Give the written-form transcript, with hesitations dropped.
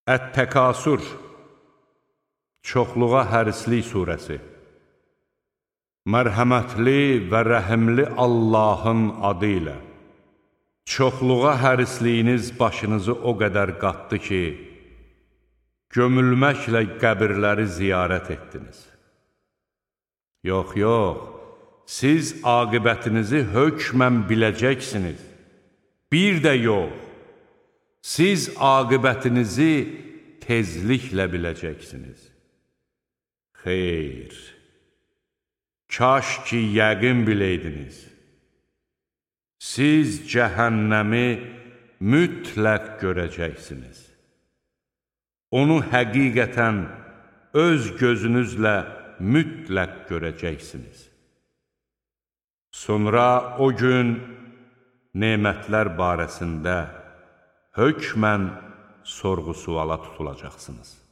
Ət-Təkasür, çoxluğa hərislik surəsi. Mərhəmətli və rəhimli Allahın adı ilə. Çoxluğa hərisliyiniz başınızı o qədər qatdı ki, gömülməklə qəbirləri ziyarət etdiniz. Yox, siz aqibətinizi hökmən biləcəksiniz. Bir də yox, siz aqibətinizi tezliklə biləcəksiniz. Xeyr, kaş ki yəqin biləydiniz. Siz cəhənnəmi mütləq görəcəksiniz. Onu həqiqətən öz gözünüzlə mütləq görəcəksiniz. Sonra o gün nemətlər barəsində hökmən sorğu-suala tutulacaqsınız.